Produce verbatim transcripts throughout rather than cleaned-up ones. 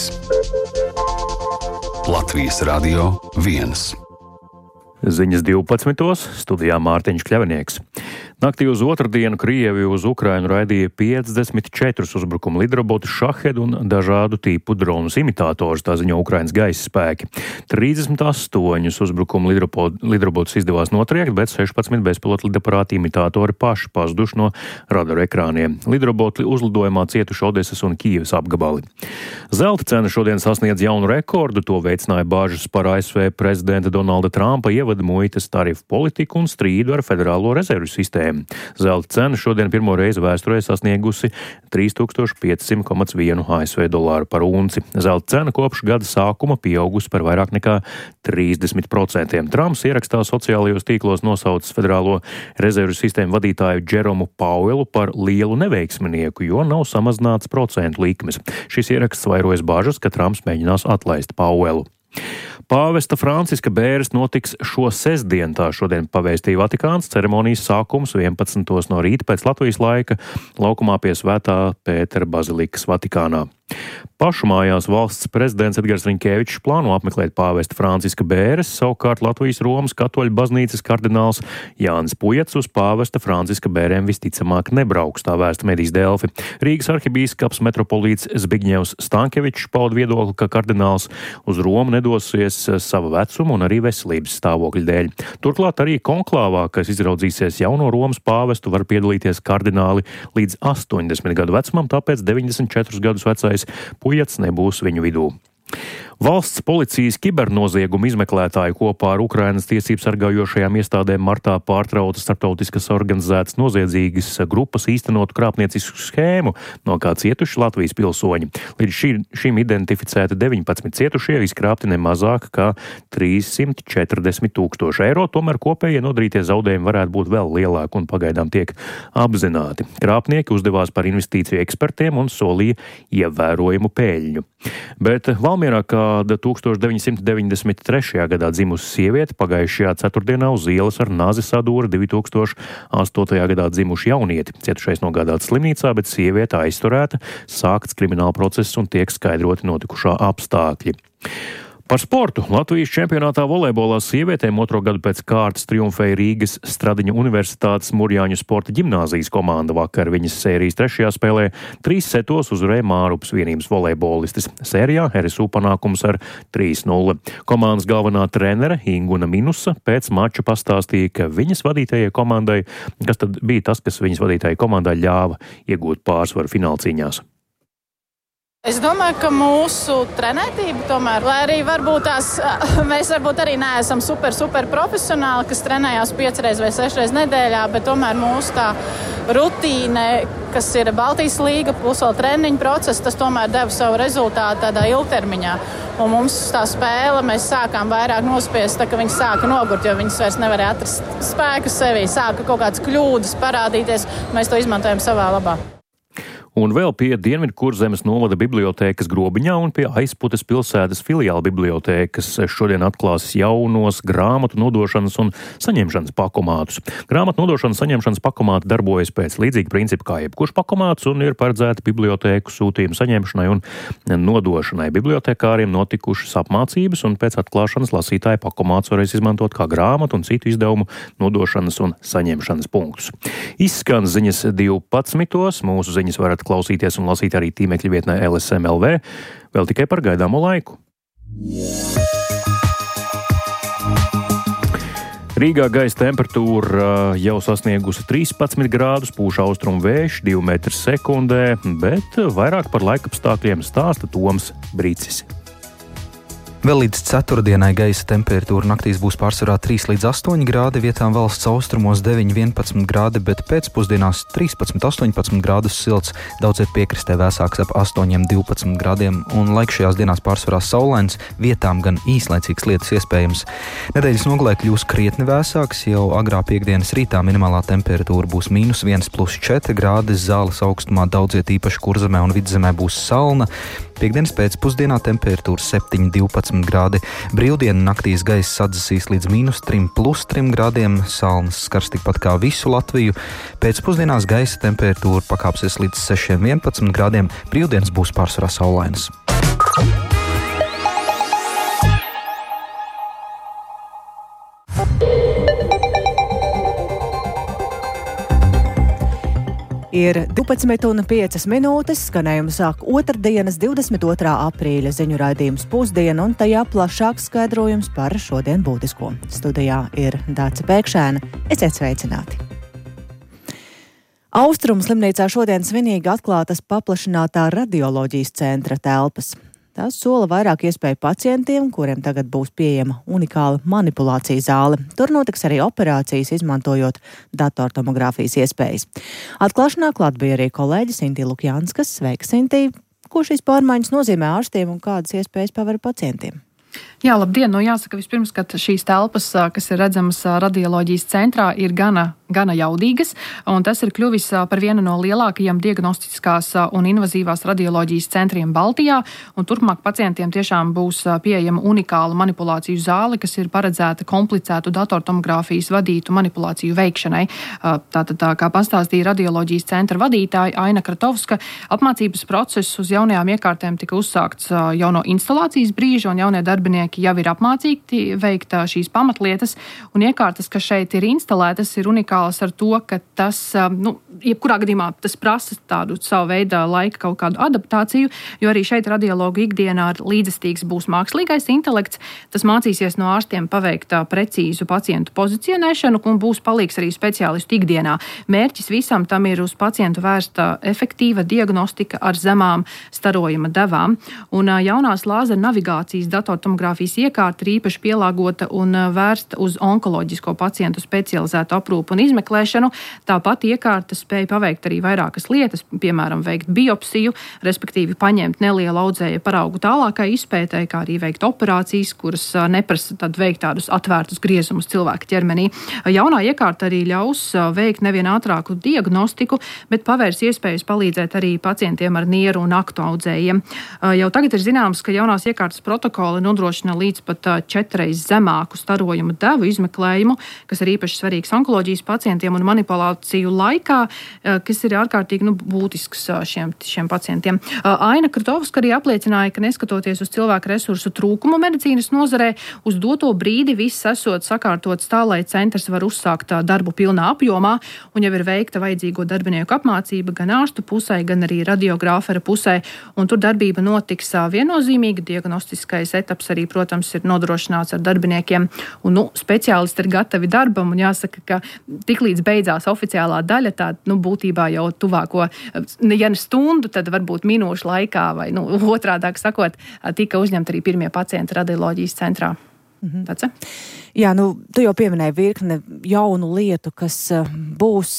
trīs. Latvijas Radio viens. Ziņas divpadsmitos studijā Mārtiņš Kļavinieks. Naktī uz otrdienu Krievija uz Ukrainu raidīja piecdesmit četrus uzbrukumu lidrobotus Šahed un dažādu tipu dronus imitātorus, tā ziņo Ukrainas gaisa spēki. trīsdesmit astoņus uzbrukumu lidrobotus izdevās notriekt, bet sešpadsmit bezpilota lidaparāta imitātori paši pazuduši no radaru ekrāniem. Lidroboti uzlidojumā cietuši Odesas un Kijevas apgabali. Zelta cena šodien sasniedz jaunu rekordu, to veicināja bāžas par A S V prezidenta Donalda Trumpa ievada muitas tarifu politiku un strīdu ar Federālo rezervju sistēmu. Zelta cena šodien pirmo reizi vēsturē sasniegusi trīs tūkstoši piecsimt komats vienu A S V dolāru par unci. Zelta cena kopš gada sākuma pieaugusi par vairāk nekā trīsdesmit procentiem. Trumps ierakstā sociālajos tīklos nosaucis Federālo rezervju sistēmu vadītāju Džeromu Pauelu par lielu neveiksminieku, jo nav samazināts procentu likmes. Šis ieraksts vairojas bažas, ka Trumps mēģinās atlaist Pauelu. Pāvesta Franciska bēres notiks šo sestdienu, tā šodien pavēstīja Vatikāns. Ceremonijas sākums vienpadsmitos no rīta pēc Latvijas laika laukumā pie Svētā Pētera bazilikas Vatikānā. Pašu mājās valsts prezidents Edgars Riņkevičs plāno apmeklēt pāvesta Franciska bēres, savukārt Latvijas Romas katoļu baznīcas kardināls Jānis Pujats uz pāvesta Franciska bērēm visticamāk nebrauks, tā vēsta medijas Delfi. Rīgas arhibīskaps metropolīts Zbigņevs Stankevičs pauda viedokli, ka kardināls uz Romu nedosies sava vecuma un arī veselības stāvokļa dēļ. Turklāt arī konklāvā, kas izraudzīsies jauno Romas pāvestu, var piedalīties kardināli līdz astoņdesmit gadu vecumam, tāpēc deviņdesmit četrus gadus vecais Pujats nebūs viņu vidū. Valsts policijas kibernoziegumu izmeklētāji kopā ar Ukrainas tiesību sargājošajām iestādēm martā pārtrauca starptautiskas organizētas noziedzīgas grupas īstenotu krāpniecisku schēmu, no kā cietuši Latvijas pilsoņi. Līdz šī, šim identificēti deviņpadsmit cietušie, izkrāpti ne mazāk kā trīssimt četrdesmit tūkstoši eiro, tomēr kopējie nodarītie zaudējumi varētu būt vēl lielāki un pagaidām tiek apzināti. Krāpnieki uzdevās par investīciju ekspertiem un solīja ievērojumu peļņu. Bet Valmierā kāda tūkstoš deviņsimt deviņdesmit trešajā gadā dzimusi sieviete pagājušajā ceturtdienā uz ielas ar nazi sadūra divi tūkstoši astotajā gadā dzimuši jaunieti. Cietušais nogādāts slimnīcā, bet sieviete aizturēta, sākts krimināla process un tiek skaidroti notikušā apstākļi. Par sportu. Latvijas čempionātā volejbolā sievietēm otro gadu pēc kārtas triumfēja Rīgas Stradiņu Universitātes Murjāņu sporta ģimnāzijas komanda. Vakar viņas sērijas trešajā spēlē trīs setos uzvarēja Mārupas vienības volejbolistis. Sērijā R S U panākums ar trīs nulle. Komandas galvenā trenere Inguna Minusa pēc mača pastāstīja, ka viņas vadītajai komandai, kas tad bija tas, kas viņas vadītajai komandai ļāva iegūt pārsvaru finālcīņās. Es domāju, ka mūsu trenētība tomēr, lai arī varbūt tās, mēs varbūt arī neesam super, super profesionāli, kas trenējās piecreiz vai sešreiz nedēļā, bet tomēr mūsu tā rutīne, kas ir Baltijas līga, plus vēl treniņu process, tas tomēr deva savu rezultātu tādā ilgtermiņā. Un mums tā spēle, mēs sākām vairāk nospiest, tā ka viņi sāka nogurt, jo viņas vairs nevarēja atrast spēku sevī, sāka kaut kādas kļūdas parādīties, mēs to izmantojam savā labā. Un vēl pie Dienvidkurzemes novada bibliotēkas Grobiņā un pie Aizputes pilsētas filiāla bibliotēkas šodien atklās jaunos grāmatu nodošanas un saņemšanas pakomātus. Grāmatu nodošanas saņemšanas pakomāti darbojas pēc līdzīga principa kā jebkurš pakomāts un ir paredzēti bibliotēku sūtījumu saņemšanai un nodošanai. Bibliotekāriem notikušas apmācības un pēc atklāšanas lasītāji pakomāts varēs izmantot kā grāmatu un citu izdevumu nodošanas un saņemšanas punktus. Izskan ziņas divpadsmitos, mūsu ziņas varat klausīties un lasīt arī tīmekļa vietnē L S M L V, vēl tikai par gaidāmo laiku. Rīgā gaisa temperatūra jau sasniegusi trīspadsmit grādus, pūš austrumu vējš divi metri sekundē, bet vairāk par laikapstākļiem stāsta Toms Brīcis. Vēl līdz ceturtdienai gaisa temperatūra naktīs būs pārsvarā trīs līdz astoņi grādi, vietām valsts austrumos deviņi vienpadsmit grādi, bet pēcpusdienās trīspadsmit astoņpadsmit grādus silts, daudziet piekrastē vēsāks ap astoņi divpadsmit grādiem, un laiks šajās dienās pārsvarā saulains, vietām gan īslaicīgs lietus iespējams. Nedēļas nogalē kļūs krietni vēsāks, jau agrā piekdienas rītā minimālā temperatūra būs mīnus viens plus četri grādi, Zāles augstumā daudziet īpaši Kurzemē un Vidzemē būs salna. Piektdienas pēcpusdienā temperatūra septiņi divpadsmit grādi. Brīvdienu naktīs gaisa sadzisīs līdz mīnus trim plus trim grādiem, salnas skars tikpat kā visu Latviju. Pēcpusdienās gaisa temperatūra pakāpsies līdz sešiem vienpadsmit grādiem, brīvdienas būs pārsvarā saulainas. Ir divpadsmit un piecas minūtes, skanējumu sāk otrdienas divdesmit otrā aprīļa ziņu raidījums Pusdiena un tajā plašāks skaidrojums par šodien būtisko. Studijā ir Dāca Pēkšēna. Esiet sveicināti! Austrumu slimnīcā šodien svinīgi atklātas paplašinātā radioloģijas centra telpas. Tas sola vairāk iespēju pacientiem, kuriem tagad būs pieejama unikāla manipulācija zāle. Tur notiks arī operācijas, izmantojot datortomogrāfijas iespējas. Atklāšanā klāt bija arī kolēģis Sintī Lukjanskas. Sveika, Sintī! Ko šīs pārmaiņas nozīmē ārstiem un kādas iespējas paver pacientiem? Jā, labdien! Nu, jāsaka vispirms, ka šīs telpas, kas ir redzamas radioloģijas centrā, ir gana, gana jaudīgas, un tas ir kļuvis par vienu no lielākajiem diagnostiskās un invazīvās radioloģijas centriem Baltijā, un turpmāk pacientiem tiešām būs pieejama unikāla manipulāciju zāle, kas ir paredzēta komplicētu datortomogrāfijas vadītu manipulāciju veikšanai. Tātad, tā kā pastāstīja radioloģijas centra vadītāja Aina Kratovska, apmācības process uz jaunajām iekārtēm tika uzsākts jau no instalācijas brīža, un jaunie darbinieki jau ir apmācīti veikt šīs pamatlietas, un iekārtas, kas šeit ir instalētas, ir unikālas ar to, ka tas, nu, jebkurā gadījumā tas prasa tādu savu veidu laika kaut kādu adaptāciju, jo arī šeit radiologu ikdienā līdzestīgs būs mākslīgais intelekts, tas mācīsies no ārstiem paveikt precīzu pacientu pozicionēšanu un būs palīgs arī speciālistu ikdienā. Mērķis visam tam ir uz pacientu vērsta efektīva diagnostika ar zemām starojuma devām, un jaunās lāzera navigācijas datortomogrāfijas iekārta ir īpaši pielāgota un vērsta uz onkoloģisko pacientu specializētu aprūpu un izmeklēšanu. Tāpat iekārta spēja paveikt arī vairākas lietas, piemēram, veikt biopsiju, respektīvi paņemt nelielu audzēja paraugu tālākai izpētei, kā arī veikt operācijas, kuras neprasa tad veikt tādus atvērtus griezumus cilvēka ķermenī. Jaunā iekārta arī ļaus veikt nevien ātrāku diagnostiku, bet pavērs iespējas palīdzēt arī pacientiem ar nieru un aktu audzējiem. Jau tagad ir zināms, ka jaunās iekārtas protokoli nodrošina līdz pat četreiz zemāku starojumu devu izmeklējumu, kas ir īpaši svarīgs onkoloģijas pacientiem un manipulāciju laikā, kas ir ārkārtīgi nu, būtisks šiem, šiem pacientiem. Aina Kratovska arī apliecināja, ka neskatoties uz cilvēku resursu trūkumu medicīnas nozarē, uz doto brīdi viss esot sakārtots tā, lai centrs var uzsākt darbu pilnā apjomā, un jau ir veikta vajadzīgo darbinieku apmācība gan ārstu pusē, gan arī radiogrāfera pusē, un tur darbība notiks viennozīmīgi, diagnostiskais etaps arī, protams, ir nodrošināts ar darbiniekiem, un nu, speciālisti ir gatavi darbam, un jāsaka, ka tiklīdz beidzās oficiālā daļa, tā nu, būtībā jau tuvāko, ja ne stundu, tad varbūt minūšu laikā, vai nu, otrādāk sakot, tika uzņemti arī pirmie pacienti radioloģijas centrā. Mhm. Tāds, Jā, nu, tu jau pieminēji virkne jaunu lietu, kas būs,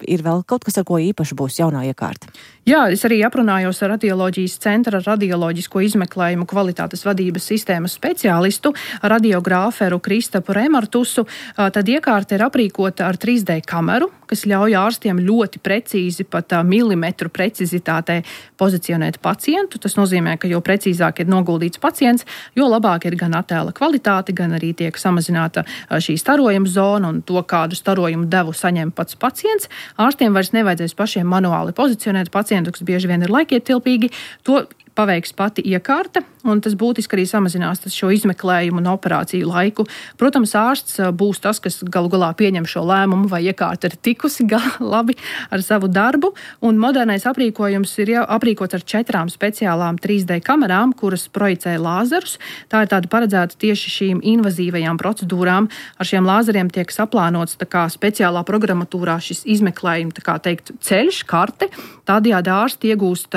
ir vēl kaut kas, ar ko īpaši būs jaunā iekārta. Jā, es arī aprunājos ar radioloģijas centra radioloģisko izmeklējumu kvalitātes vadības sistēmas speciālistu, radiogrāferu Kristapu Remartusu. Tad iekārta ir aprīkota ar trīs D kameru, kas ļauj ārstiem ļoti precīzi, pat milimetru precizitātē pozicionēt pacientu. Tas nozīmē, ka jo precīzāk ir noguldīts pacients, jo labāk ir gan attēla kvalitāte, gan arī tiek samazināta šī starojuma zona un to, kādu starojumu devu saņem pats pacients. Ārstiem vairs nevajadzēs pašiem manuāli pozicionēt pacientu, kas bieži vien ir laikietilpīgi. To paveiks pati iekārta, un tas būtiski arī samazinās šo izmeklējumu un operāciju laiku. Protams, ārsts būs tas, kas galu galā pieņem šo lēmumu, vai iekārta ir tikusi labi ar savu darbu, un modernais aprīkojums ir jau aprīkots ar četrām speciālām trīs D kamerām, kuras projicē lāzerus. Tā ir tāda paredzēta tieši šīm invazīvajām procedūrām. Ar šiem lāzeriem tiek saplānots tā kā speciālā programmatūrā šis izmeklējuma, tā kā teikt, ceļš, karte. Tādējādi ārsti iegūst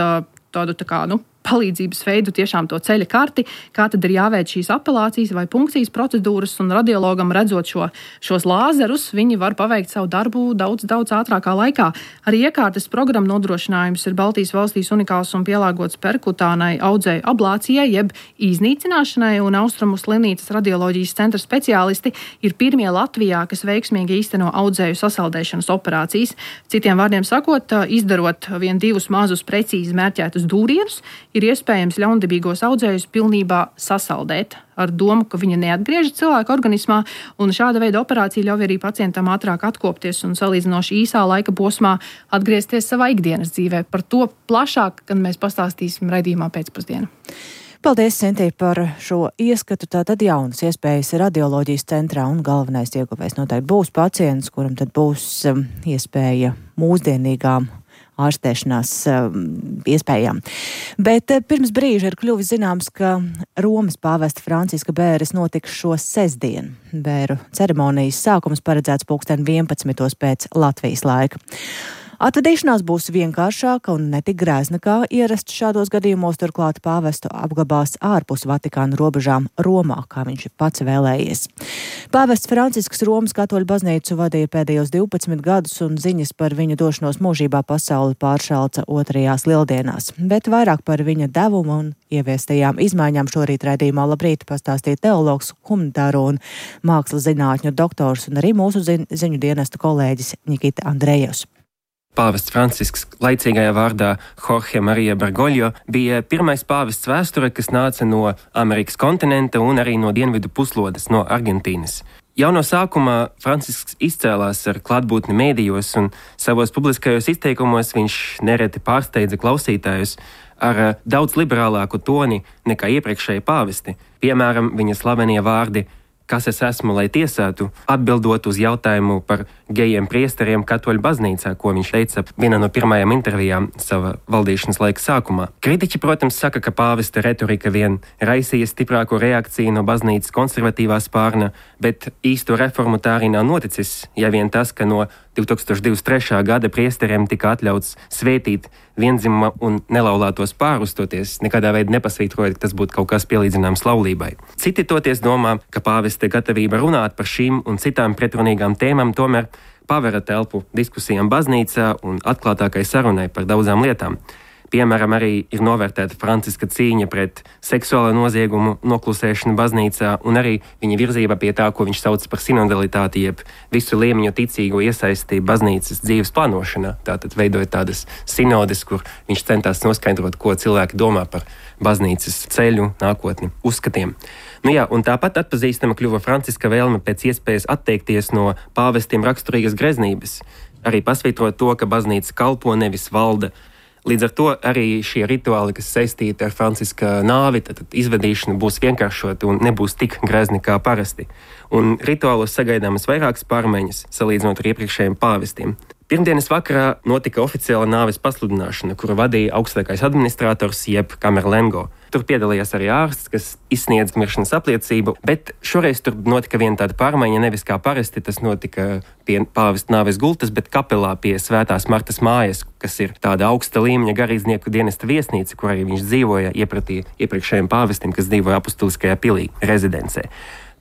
tādu tā kā, nu, palīdzības veidu, tiešām to ceļa karti, kā tad ir jāveic šīs apelācijas vai punkcijas procedūras, un radiologam redzot šo, šos lāzerus, viņi var paveikt savu darbu daudz, daudz ātrākā laikā. Arī iekārtas programma nodrošinājums ir Baltijas valstīs unikāls un pielāgots perkutānai audzēju ablācijai, jeb iznīcināšanai, un Austrumu slimnīcas radioloģijas centra speciālisti ir pirmie Latvijā, kas veiksmīgi īsteno audzēju sasaldēšanas operācijas. Citiem vārdiem sakot, izdarot vien divus mazus precīzi mērķētus dūrienus, ir iespējams ļaundabīgos audzējus pilnībā sasaldēt ar domu, ka viņa neatgriežas cilvēka organismā, un šāda veida operācija ļauj arī pacientam ātrāk atkopties un salīdzinoši īsā laika posmā atgriezties savā ikdienas dzīvē. Par to plašāk, kad mēs pastāstīsim raidījumā pēcpusdienā. Paldies, Sintī, par šo ieskatu. Tātad jaunas iespējas radioloģijas centrā, un galvenais ieguvējs noteikti būs pacients, kuram tad būs um, iespēja mūsdienīgām ārstēšanās iespējām. Bet pirms brīža ir kļuvis zināms, ka Romas pāvesta Franciska bēres notiks šo sestdienu. Bēru ceremonijas sākums paredzēts pulksten vienpadsmitos pēc Latvijas laika. Atvadīšanās būs vienkāršāka un netik grēzna kā ierasts šādos gadījumos, turklāt pāvestu apglabās ārpus Vatikāna robežām Romā, kā viņš pats vēlējies. Pāvests Francisks Romas katoļu baznīcu vadīja pēdējos divpadsmit gadus un ziņas par viņa došanos mūžībā pasauli pāršalca otrajās lieldienās, bet vairāk par viņa devumu un ieviestajām izmaiņām šorīt raidījumā Labrīt pastāstīja teologs, humanitāro un mākslas zinātņu doktors un arī mūsu zi- ziņu dienesta kolēģis Nikita Andrejevs. Pāvests Francisks, laicīgajā vārdā Jorge Marija Bergoglio, bija pirmais pāvests vēsture, kas nāca no Amerikas kontinenta un arī no dienvidu puslodes, no Argentīnas. Jau no sākumā Francisks izcēlās ar klātbūtni mēdījos un savos publiskajos izteikumos viņš nereti pārsteidza klausītājus ar daudz liberālāku toni nekā iepriekšēji pāvesti. Piemēram, viņa slavenie vārdi "Kas es esmu, lai tiesātu?", atbildot uz jautājumu par gejiem priesteriem katoļu baznīcā, ko viņš teica vienā no pirmajām intervijām sava valdīšanas laika sākumā. Kritiķi, protams, saka, ka pāvesta retorika vien raisīja stiprāko reakciju no baznīcas konservatīvā spārna, bet īsto reformu tā arī nav noticis, ja vien tas, ka no divtūkstoš divdesmit trešā gada priesteriem tika atļauts svētīt vienzimuma un nelaulātos pārus, toties nekādā veidā nepasvītrojot, ka tas būtu kaut kas pielīdzināms laulībai. Citi toties domā, ka pāvesta gatavība runāt par šīm un citām pretrunīgām tēmām tomēr pavera telpu diskusijām baznīcā un atklātākai sarunai par daudzām lietām. Piemēram, arī ir novērtēta Franciska cīņa pret seksuālo noziegumu noklusēšanu baznīcā un arī viņa virzība pie tā, ko viņš sauc par sinodalitāti, jeb visu līmeņu ticīgo iesaisti baznīcas dzīves plānošanā. Tātad veidojot tādas sinodes, kur viņš centās noskaidrot, ko cilvēki domā par baznīcas ceļu, nākotni, uzskatiem. Nu jā, un tāpat atpazīstama kļuva Franciska vēlme pēc iespējas atteikties no pāvestiem raksturīgas greznības, arī pasvītrot to, ka baznīca kalpo, nevis valda. Līdz ar to arī šie rituāli, kas saistīti ar Franciska nāvi, tad izvedīšana būs vienkāršota un nebūs tik grezni kā parasti. Un rituālos sagaidāmas vairākas pārmaiņas, salīdzinot ar iepriekšējiem pāvestiem. Pirmdienas vakarā notika oficiāla nāves pasludināšana, kuru vadīja augstākais administrators jeb Kamerlengo. Tur piedalījās arī ārsts, kas izsniedz miršanas apliecību, bet šoreiz tur notika viena tāda pārmaiņa, nevis kā parasti tas notika pie pāvesta nāves gultas, bet kapelā pie Svētās Martas mājas, kas ir tāda augsta līmeņa garīdznieku dienesta viesnīca, kur arī viņš dzīvoja iepratī iepriekšējiem pāvestiem, kas dzīvoja apustuliskajā pilī rezidencē.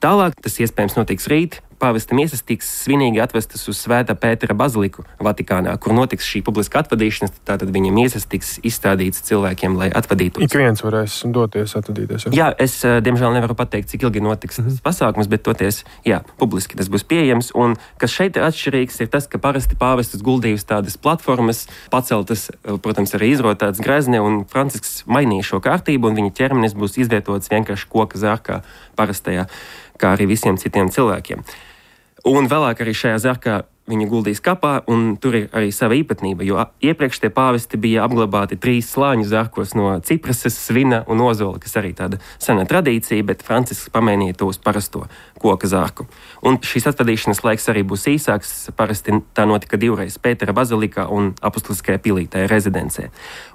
Tālāk tas iespējams notiks rīt. Pāvesta miesas tiks svinīgi atvestas uz Svētā Pētera baziliku Vatikānā, kur notiks šī publiska atvadīšanas, tātad viņa miesas tiks izstādītas cilvēkiem, lai atvadītos. Ik viens varēs doties atvadīties. Ja? Jā, es diemžēl nevaru pateikt, cik ilgi notiks mm-hmm. tas pasākums, bet toties, jā, publiski tas būs pieejams. Un kas šeit ir atšķirīgs, ir tas, ka parasti pāvestus guldījusi tādas platformas, paceltas, protams, arī izrotāts grezni, un Francisks mainīja šo kārtību, un viņa ķermenis būs izvietots vienkārši koka zārkā parastajā, kā arī visiem citiem cilvēkiem. Un vēlāk arī šajā zarkā viņu guldīs kapā, un tur ir arī sava īpatnība, jo iepriekš tie pāvesti bija apglabāti trīs slāņu zarkos no ciprases, svina un ozola, kas arī tāda sena tradīcija, bet Francisks pamainīja to uz parasto koka zarku. Un šīs atvadīšanas laiks arī būs īsāks, parasti tā notika divreiz Pētera bazilikā un apustuliskajā pilī, tajā rezidencē.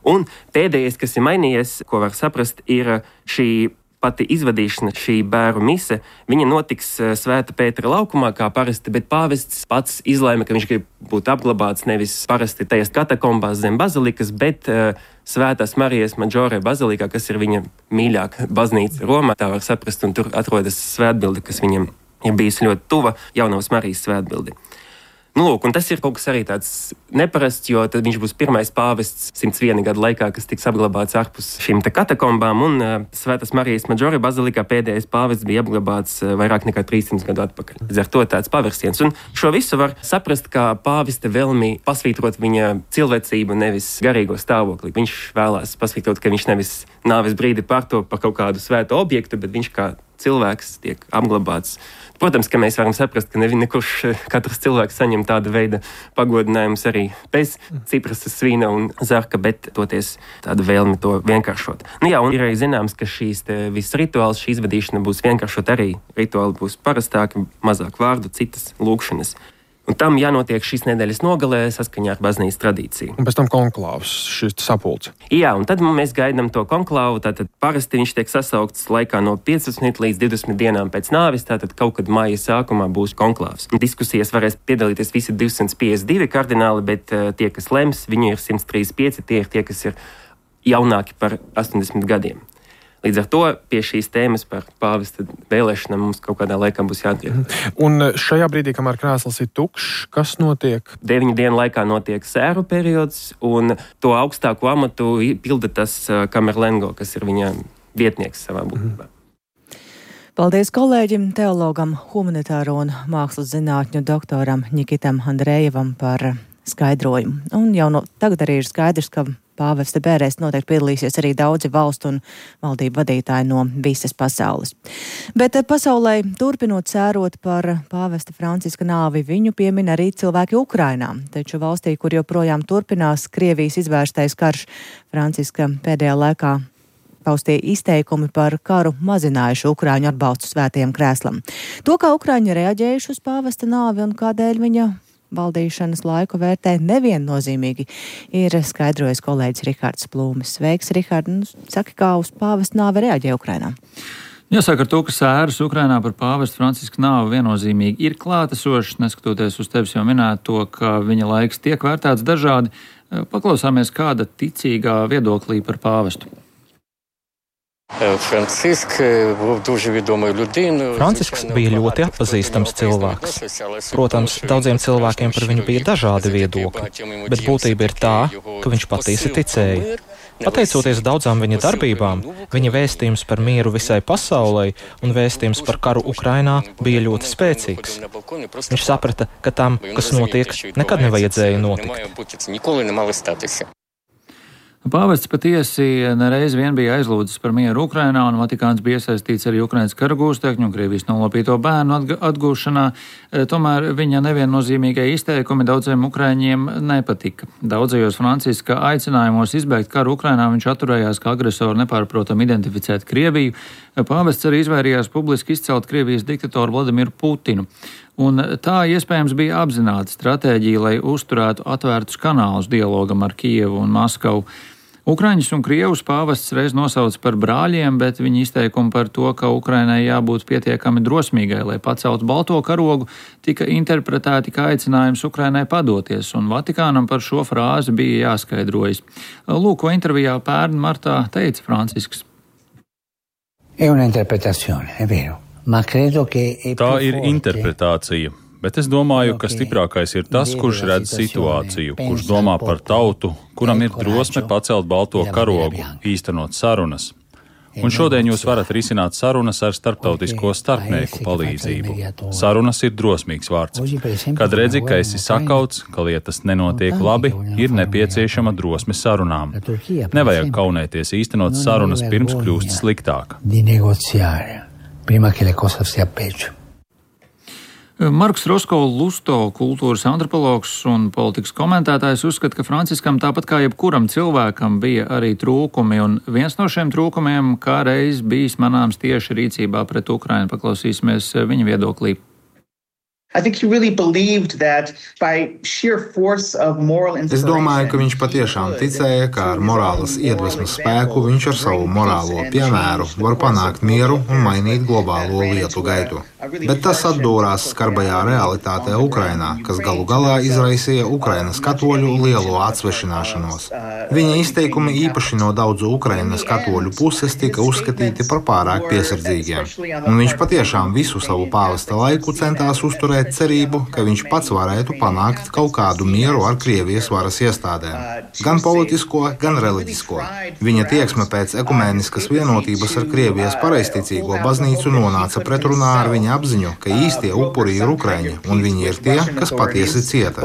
Un pēdējais, kas ir mainījies, ko var saprast, ir šī pati izvadīšana, šī bēru mise, viņa notiks Svētā Pētera laukumā kā parasti, bet pāvests pats izlēma, ka viņš grib būt apglabāts nevis parasti tajās katakombās zem bazilikas, bet uh, Svētās Marijas Maģore bazilikā, kas ir viņa mīļākā baznīca Romā, tā var saprast, un tur atrodas svētbilde, kas viņam ir bijusi ļoti tuva, Jaunavas Marijas svētbildi. Nu, lūk, un tas ir kaut kas arī tāds neparasts, jo tad viņš būs pirmais pāvests simts viena gada laikā, kas tiks apglabāts ārpus šīm te katakombām, un uh, Svētās Marijas Maģore bazilikā pēdējais pāvests bija apglabāts uh, vairāk nekā trīssimts gadu atpakaļ. Līdz ar to tāds pavērsiens. Un šo visu var saprast kā pāvesta vēlmi pasvītrot viņa cilvēcību, nevis garīgo stāvokli. Viņš vēlās pasvītrot, ka viņš nevis nāves brīdi pārto par kaut kādu svētu objektu, bet viņš kā cilvēks tiek apglabāts. Protams, ka mēs varam saprast, ka neviens, nekurš katrs cilvēks saņem tādu veidu pagodinājumus arī bez ciprasas, svīna un zarka, bet toties tādu vēlmi to vienkāršot. Nu jā, un ir arī zināms, ka šīs te viss rituāls, šī izvadīšana būs vienkāršot arī. Rituāli būs parastāki, mazāk vārdu, citas lūkšanas. Un tam jānotiek šīs nedēļas nogalē saskaņā ar baznīcas tradīciju. Un pēc tam konklāvs, šis sapulce. Jā, un tad mēs gaidām to konklāvu. Tātad parasti viņš tiek sasaukts laikā no piecpadsmit līdz divdesmit dienām pēc nāves. Tātad kaut kad māja sākumā būs konklāvs. Diskusijas varēs piedalīties visi divsimt piecdesmit divi kardināli, bet uh, tie, kas lems, viņi ir simt trīsdesmit pieci, tie ir tie, kas ir jaunāki par astoņdesmit gadiem. Līdz ar to pie šīs tēmas par pāvesta vēlēšanām mums kaut kādā laikā būs jātiek. Un šajā brīdī, kamēr krēsls ir tukšs, kas notiek? Deviņu dienu laikā notiek sēru periods, un to augstāko amatu pilda tas Kamerlengo, kas ir viņa vietnieks savā būtībā. Paldies kolēģim, teologam, humanitāro un mākslas zinātņu doktoram Nikitam Andrejevam par skaidrojumu. Un jau no tagad arī ir skaidrs, ka pāvesta bērēs noteikti piedalīsies arī daudzi valstu un valdību vadītāji no visas pasaules. Bet pasaulē turpinot sērot par pāvesta Franciska nāvi, viņu piemin arī cilvēki Ukrainā. Taču valstī, kur joprojām turpinās Krievijas izvērstais karš, Franciska pēdējā laikā paustie izteikumi par karu mazinājuši Ukraiņu atbalstu svētajam krēslam. To, kā Ukraiņi reaģējuši uz pāvesta nāvi un kādēļ viņa valdīšanas laiku vērtē neviennozīmīgi, ir skaidrojis kolēģis Rihards Plūmes. Sveiks, Rihard! Nu, saki, kā uz pāvesta nāvi reaģē Ukrainā? Jāsaka ar to, ka sēras Ukrainā par pāvesta Franciska nāvi viennozīmīgi ir klātesošas, neskatoties uz tevis jau minēto, ka viņa laiks tiek vērtēts dažādi. Paklausāmies kāda ticīgā viedoklī par pāvestu. Francisks bija ļoti atpazīstams cilvēks. Protams, daudziem cilvēkiem par viņu bija dažādi viedokļi, bet būtība ir tā, ka viņš patiesi ticēja. Pateicoties daudzām viņa darbībām, viņa vēstījums par mieru visai pasaulei un vēstījums par karu Ukrainā bija ļoti spēcīgs. Viņš saprata, ka tam, kas notiek, nekad nevajadzēja notikt. Pāvests patiesi nereiz vien bija aizlūdzis par mieru Ukrainā, un Vatikāns bija iesaistīts arī Ukrainas kara gūstekņu un Krievijas nolapīto bērnu atgūšanā. Tomēr viņa neviennozīmīgie izteikumi daudziem ukraiņiem nepatika. Daudzajos Franciska aicinājumos izbeigt karu Ukrainā viņš atturējās, ka agresoru nepārprotam identificēt Krieviju. Pāvests arī izvairījās publiski izcelt Krievijas diktatoru Vladimiru Putinu. Un tā iespējams bija apzināta stratēģija, lai uzturētu atvērtus kanālus dialogam ar Kijevu un Maskavu. Ukraiņus un Krievus pāvests reiz nosauca par brāļiem, bet viņa izteikumi par to, ka Ukrainai jābūt pietiekami drosmīgai, lai paceltu balto karogu, tika interpretēti kā aicinājums Ukrainai padoties, un Vatikānam par šo frāzi bija jāskaidrojas. Lūk, ko intervijā pērn martā teica Francisks. Tā ir interpretācija, bet es domāju, ka stiprākais ir tas, kurš redz situāciju, kurš domā par tautu, kuram ir drosme pacelt balto karogu, īstenot sarunas. Un šodien jūs varat risināt sarunas ar starptautisko starpnieku palīdzību. Sarunas ir drosmīgs vārds. Kad redzi, ka esi sakauts, ka lietas nenotiek labi, ir nepieciešama drosme sarunām. Nevajag kaunēties īstenot sarunas pirms kļūst sliktāk. Marks Rosko-Lusto, kultūras antropologs un politikas komentētājs, uzskata, ka Franciskam tāpat kā jebkuram cilvēkam bija arī trūkumi, un viens no šiem trūkumiem kā reiz bijis manāms tieši rīcībā pret Ukrainu. Paklausīsimies viņa viedoklī. Es domāju, ka viņš patiešām ticēja, ka ar morālas iedvesmas spēku viņš ar savu morālo piemēru var panākt mieru un mainīt globālo lietu gaitu. Bet tas atdūrās skarbajā realitātē Ukrainā, kas galu galā izraisīja Ukrainas katoļu lielo atsvešināšanos. Viņa izteikumi īpaši no daudzu Ukrainas katoļu puses tika uzskatīti par pārāk piesardzīgiem. Un viņš patiešām visu savu pāvesta laiku centās uzturēt cerību, ka viņš pats varētu panākt kaut kādu mieru ar Krievijas varas iestādēm. Gan politisko, gan reliģisko. Viņa tieksme pēc ekumēniskas vienotības ar Krievijas pareizticīgo baznīcu nonāca pretrunā ar viņa apziņu, ka īstie upuri ir Ukraiņi, un viņi ir tie, kas patiesi cieta.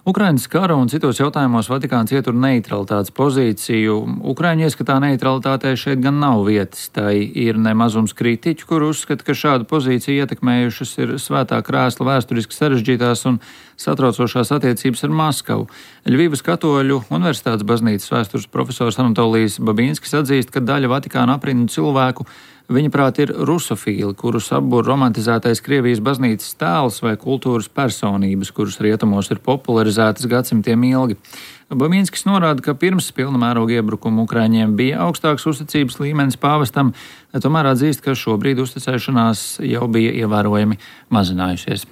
Ukrainas kara un citos jautājumos Vatikāns ietur neutralitātes pozīciju. Ukraiņu ieskatā neutralitātei šeit gan nav vietas. Tai ir nemazums kritiķu, kur uzskata, ka šādu pozīciju ietekmējušas ir svētā krēsla vēsturiski sarežģītās un satraucošās attiecības ar Maskavu. Ļvivas katoļu universitātes baznīcas vēstures profesors Anatolijs Babīnskis atzīst, ka daļa Vatikāna aprindu cilvēku viņaprāt ir rusofīli, kurus apbur romantizētais Krievijas baznīcas tēls vai kultūras personības, kuras rietumos ir popularizētas gadsimtiem ilgi. Bamīnskis norāda, ka pirms pilna mēroga iebrukuma Ukraiņiem bija augstāks uzticības līmenis pāvestam, tomēr atzīst, ka šobrīd uzticēšanās jau bija ievērojami mazinājusies.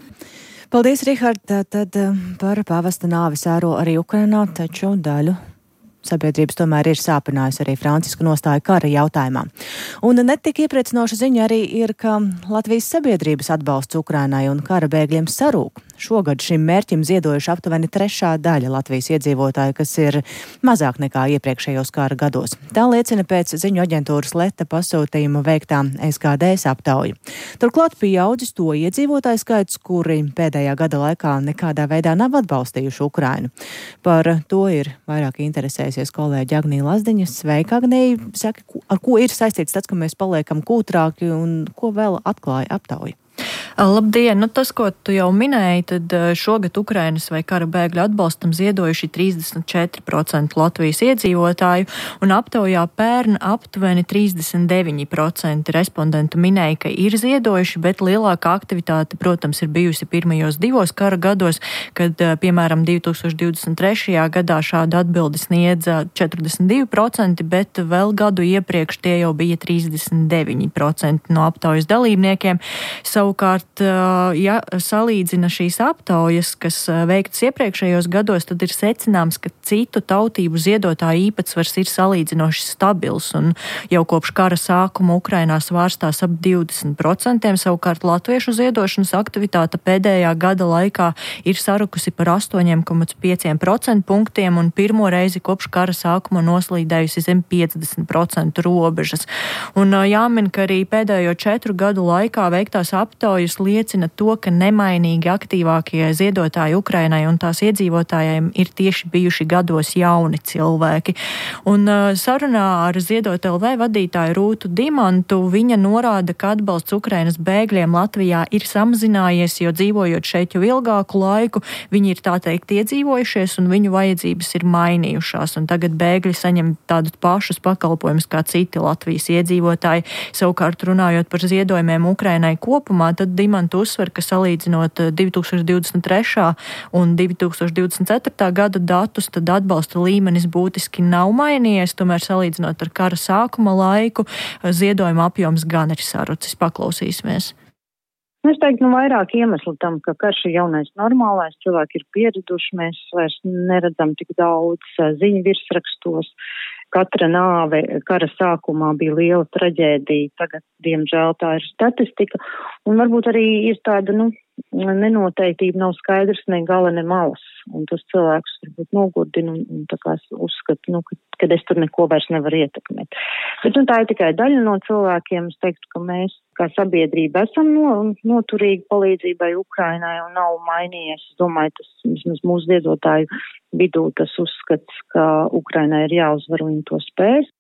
Paldies, Rihard. Tad par pāvesta nāvi sēro arī Ukrainā, taču daļu sabiedrības tomēr ir sāpinājusi arī Francisku nostāju kara jautājumā. Un netik iepriecinoša ziņa arī ir, ka Latvijas sabiedrības atbalsts Ukrainai un kara bēgļiem sarūk. Šogad šim mērķim ziedojuši aptuveni trešā daļa Latvijas iedzīvotāju, kas ir mazāk nekā iepriekšējos kara gados. Tā liecina pēc ziņu aģentūras Leta pasūtījuma veiktā S K D S aptauja. Turklāt pieaudzis to iedzīvotāju skaits, kuri pēdējā gada laikā nekādā veidā nav atbalstījuši Ukrainu. Par to ir vairāk interesējusies kolēģi Agnija Lazdiņa. Sveika, Agnija! Saki, ar ko ir saistīts tas, ka mēs paliekam kūtrāki un ko vēl atklāja aptauja? Labdien! Nu, tas, ko tu jau minēji, tad šogad Ukrainas vai kara bēgļu atbalstam ziedojuši trīsdesmit četri procenti Latvijas iedzīvotāju, un aptaujā pērn aptuveni trīsdesmit deviņi procenti respondentu minēja, ka ir ziedojuši, bet lielākā aktivitāte, protams, ir bijusi pirmajos divos kara gados, kad, piemēram, divi tūkstoši divdesmit trešajā gadā šādu atbildi sniedza četrdesmit divi procenti, bet vēl gadu iepriekš tie jau bija trīsdesmit deviņi procenti no aptaujas dalībniekiem. Savukārt, ja salīdzina šīs aptaujas, kas veiktas iepriekšējos gados, tad ir secināms, ka citu tautību ziedotāju īpatsvars ir salīdzinoši stabils, un jau kopš kara sākuma Ukrainā svārstās ap divdesmit procenti, savukārt latviešu ziedošanas aktivitāte pēdējā gada laikā ir sarukusi par astoņi komats pieci procentu punktiem, un pirmo reizi kopš kara sākuma noslīdējusi zem piecdesmit procentu robežas. Un jāmin, ka arī pēdējo četru gadu laikā veiktās aptaujas liecina to, ka nemainīgi aktīvākie ziedotāji Ukrainai un tās iedzīvotājiem ir tieši bijuši gados jauni cilvēki. Un sarunā ar Ziedot L V vadītāju Rūtu Dimantu viņa norāda, ka atbalsts Ukrainas bēgļiem Latvijā ir samazinājies, jo dzīvojot šeit jau ilgāku laiku, viņi ir tā teikt iedzīvojušies un viņu vajadzības ir mainījušās. Un tagad bēgļi saņem tādus pašus pakalpojumus kā citi Latvijas iedzīvotāji. Savukārt runājot par ziedojumiem Ukrainai kopumā, tad Dimanta uzsver, ka salīdzinot divi tūkstoši divdesmit trešā un divi tūkstoši divdesmit ceturtā gada datus, tad atbalsta līmenis būtiski nav mainījies, tomēr salīdzinot ar kara sākuma laiku, ziedojuma apjoms gan ir sarucis. Paklausīsimies. Es teiktu, nu, vairāk iemeslu tam, ka karš ir jaunais normālais, cilvēki ir pieraduši, mēs vairs neredzam tik daudz ziņu virsrakstos. Katra nāve kara sākumā bija liela traģēdija, tagad, diemžēl, tā ir statistika, un varbūt arī ir tāda, nu, nenoteiktība, nav skaidrs ne gala, ne malas, un tas cilvēks varbūt nogurdina un, un tā kā uzskata, nu, ka, kad es tur neko vairs nevaru ietekmēt. Bet, nu, tā ir tikai daļa no cilvēkiem. Es teiktu, ka mēs kā sabiedrība esam no, noturīgi palīdzībai Ukrainai un nav mainījies. Es domāju, tas vismaz mūsu ziedotāju vidū tas uzskats, ka Ukrainai ir jāuzvar un viņi to spēs.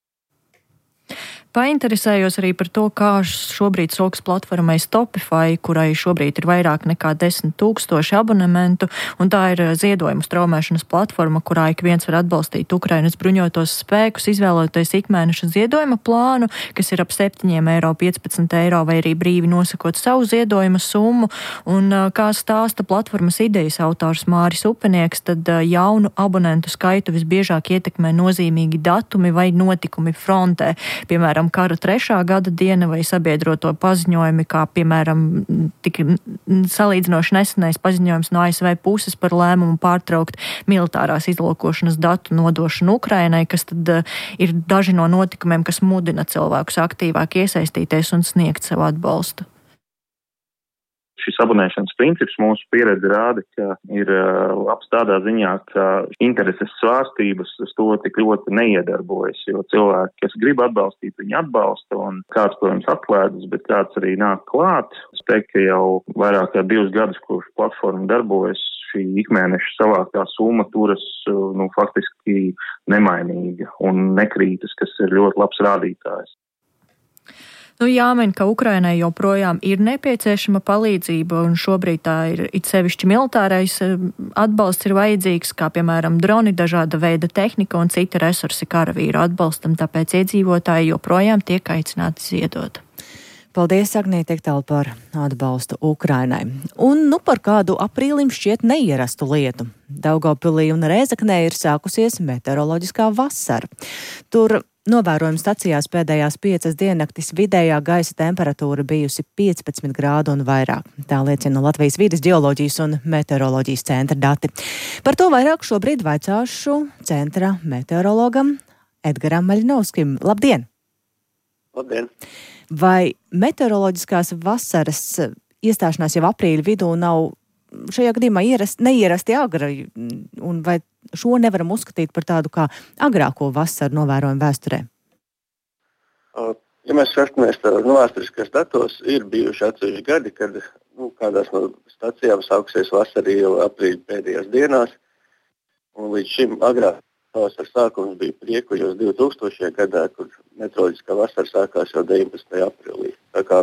Painteresējos arī par to, kā šobrīd sokas platformai Stopify, kurai šobrīd ir vairāk nekā desmit tūkstoši abonementu, un tā ir ziedojumu straumēšanas platforma, kurā ik viens var atbalstīt Ukrainas bruņotos spēkus, izvēloties ikmēneša ziedojuma plānu, kas ir ap septiņi eiro, piecpadsmit eiro, vai arī brīvi nosakot savu ziedojuma summu. Un kā stāsta platformas idejas autors Māris Upenieks, tad jaunu abonentu skaitu visbiežāk ietekmē nozīmīgi datumi vai notikumi frontē, piemēram, kara trešā gada diena vai sabiedroto paziņojumi, kā piemēram tik salīdzinoši nesenais paziņojums no A S V puses par lēmumu pārtraukt militārās izlūkošanas datu nodošanu Ukrainai, kas tad ir daži no notikumiem, kas mudina cilvēkus aktīvāk iesaistīties un sniegt savu atbalstu. Šis abonēšanas princips mūsu pieredze rāda, ka ir labs tādā ziņā, ka intereses svārstības uz to tik ļoti neiedarbojas, jo cilvēki, kas grib atbalstīt, viņi atbalsta, un kāds, protams, atklēdas, bet kāds arī nāk klāt. Es teiktu, ka jau vairāk kā divus gadus, kurš platforma darbojas, šī ikmēneša savāktā summa turas, nu, faktiski nemainīga un nekrītas, kas ir ļoti labs rādītājs. Nu, jāmin, ka Ukrainai joprojām ir nepieciešama palīdzība, un šobrīd tā ir it sevišķi militārais atbalsts ir vajadzīgs, kā piemēram droni, dažāda veida tehnika un citi resursi karavīru atbalstam, tāpēc iedzīvotāji joprojām tiek aicināti ziedot. Paldies, Agnija, tik tālu par atbalstu Ukrainai. Un nu par kādu aprīlim šķiet neierastu lietu. Daugavpilī un Rēzeknē ir sākusies meteoroloģiskā vasara. Tur novērojuma stacijās pēdējās piecas diennaktis vidējā gaisa temperatūra bijusi piecpadsmit grādu un vairāk. Tā liecina Latvijas vides ģeoloģijas un meteoroloģijas centra dati. Par to vairāk šobrīd vaicāšu centra meteorologam Edgaram Maļinovskim. Labdien! Labdien! Vai meteoroloģiskās vasaras iestāšanās jau aprīļa vidū nav šajā gadījumā ierast, neierasti agri, un vai šo nevaram uzskatīt par tādu kā agrāko vasaru novērojumu vēsturē? Ja mēs skatāmies no vēsturiskās datos, ir bijuši atsevišķi gadi, kad nu, kādās no stacijām sākusies vasara jau aprīļa pēdējās dienās, un līdz šim agrāk pavasara sākums bija priekuļos divtūkstošajā gadā, kur meteoroloģiskā vasara sākās jau deviņpadsmitajā aprīlī. Tā kā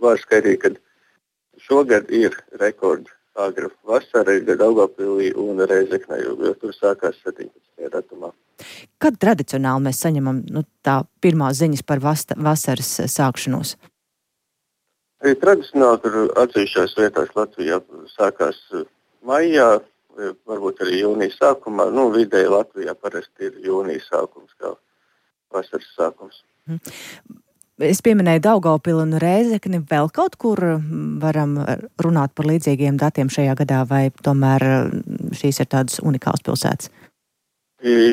var skaidrīt, ka šogad ir rekords agra vasara gan Daugavpilī un Rēzeknē, jo tur sākās septiņpadsmitajā datumā. Kad tradicionāli mēs saņemam nu, tā pirmās ziņas par vasta, vasaras sākšanos? Arī tradicionāli tur atsevišķās vietās Latvijā sākās maijā, varbūt arī jūnijas sākumā. Nu, vidēji Latvijā parasti ir jūnijas sākums, kā vasaras sākums. Es pieminēju Daugavpili un Rēzekni. Vēl kaut kur varam runāt par līdzīgiem datiem šajā gadā, vai tomēr šīs ir tādas unikālas pilsētas?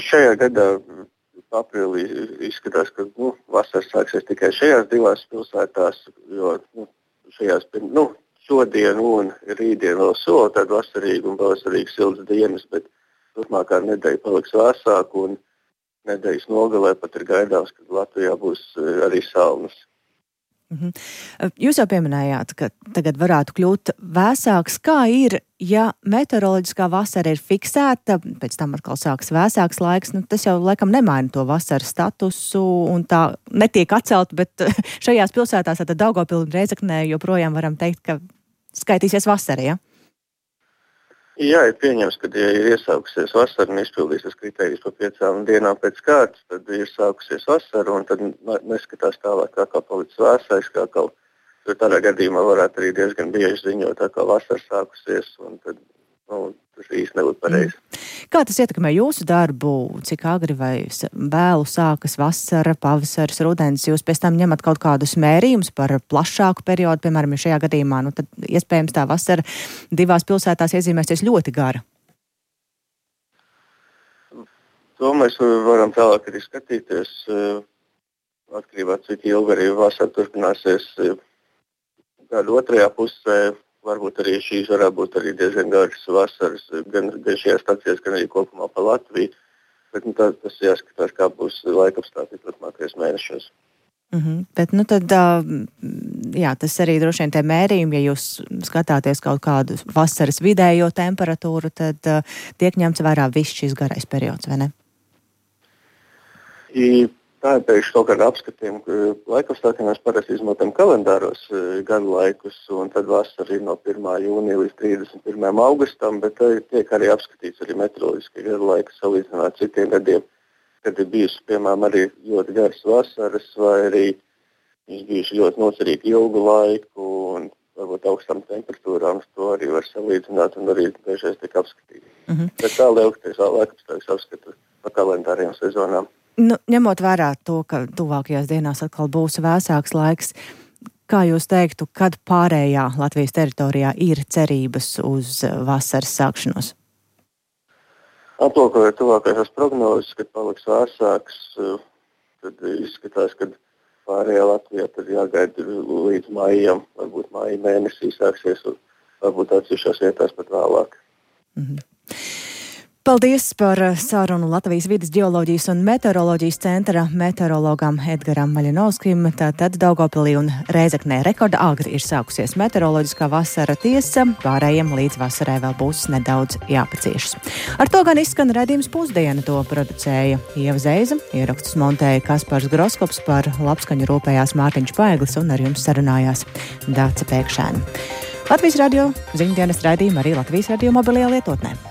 Šajā gadā aprīlī izskatās, ka nu, vasaras sāksies tikai šajās divās pilsētās, jo nu, šajās pirms... Nu, šodien un rītdien vēl sola tādu vasarīgu un pavasarīgu siltas dienas, bet turpmākā nedēļa paliks vēsāk un nedēļas nogalē pat ir gaidāms, ka Latvijā būs arī salnas. Mhm. Jūs jau pieminējāt, ka tagad varētu kļūt vēsāks. Kā ir, ja meteoroloģiskā vasara ir fiksēta, pēc tam atkal sāks vēsāks laiks, nu, tas jau laikam nemaina to vasaras statusu un tā netiek atcelt, bet šajās pilsētās, tad Daugavpilī un Rēzeknē joprojām varam teikt, ka skaitīsies vasara, ja? Jā, ir pieņems, ka ja ir iesākusies vasara un izpildīsies kritērijas pa piecām dienām pēc kārtas, tad ir sākusies vasara un tad neskatās tālāk, kā kā palicis vēsais, kā kaut tur tādā gadījumā varētu arī diezgan bieži ziņot, tā kā vasara sākusies un tad nu, tas īsti nebūtu pareizi. Kā tas ietekmē jūsu darbu, cik agri vai vēlu sākas vasara, pavasaris, rudens? Jūs pēc tam ņemat kaut kādus mērījumus par plašāku periodu, piemēram, ja šajā gadījumā, nu tad iespējams tā vasara divās pilsētās iezīmēsies ļoti gara. To mēs varam tālāk arī skatīties, atkarībā cik ilgi arī vasara turpināsies gada otrajā pusē. Varbūt arī šīs varētu būt arī diezgan garas vasaras, gan, gan šajās stācijās, gan arī kopumā pa Latviju. Bet nu, tā, tas jāskatās, kā būs laikapstākļi turpmākajos mēnešos. Mm-hmm. Bet nu tad, jā, tas arī droši vien tie mērījumi, ja jūs skatāties kaut kādu vasaras vidējo temperatūru, tad tiek ņemts vērā viss šis garais periods, vai ne? I, Tā ir pēc kaut kāda apskatījuma, ka laikapstākļi mēs parasti izmantojam kalendāros gadu laikus, un tad vasara ir no pirmā jūnija līdz trīsdesmit pirmajam augustam, bet tiek arī apskatīts arī meteoroloģiski gadu laiku salīdzināt citiem gadiem, kad ir bijusi, piemēram, arī ļoti garas vasaras, vai arī viņš bijuši ļoti nocerīgi ilgu laiku, un varbūt augstām temperatūrām to arī var salīdzināt, un arī dažreiz tiek apskatīt. Mm-hmm. Bet tā lielākoties laikapstākļus apskata pa kalendāriem sezonām. Nu, ņemot vērā to, ka tuvākajās dienās atkal būs vēsāks laiks, kā jūs teiktu, kad pārējā Latvijas teritorijā ir cerības uz vasaras sākšanos? Aplūkojot tuvākajās prognozes, kad paliks vēsāks, tad izskatās, ka pārējā Latvijā tad jāgaida līdz maijam, varbūt maija mēnesī sāksies, un varbūt atsevišķās vietās pat vēlāk. Mhm. Paldies par sarunu Latvijas vides ģeoloģijas un meteoroloģijas centra meteorologam Edgaram Maļinovskim. Tātad Daugavpilī un Rēzeknē rekorda agri ir sākusies meteoroloģiskā vasara, tiesa, pārējiem līdz vasarai vēl būs nedaudz jāpaciešas. Ar to gan izskan raidījums Pusdiena, to producēja Ieva Zeiza, ierakstus montēja Kaspars Groskops, par labskaņu rūpējās Mārtiņš Paeglis un ar jums sarunājās Dāca Pēkšēna. Latvijas radio ziņdienas raidījuma arī Latvijas radio mobilajā lietotnē.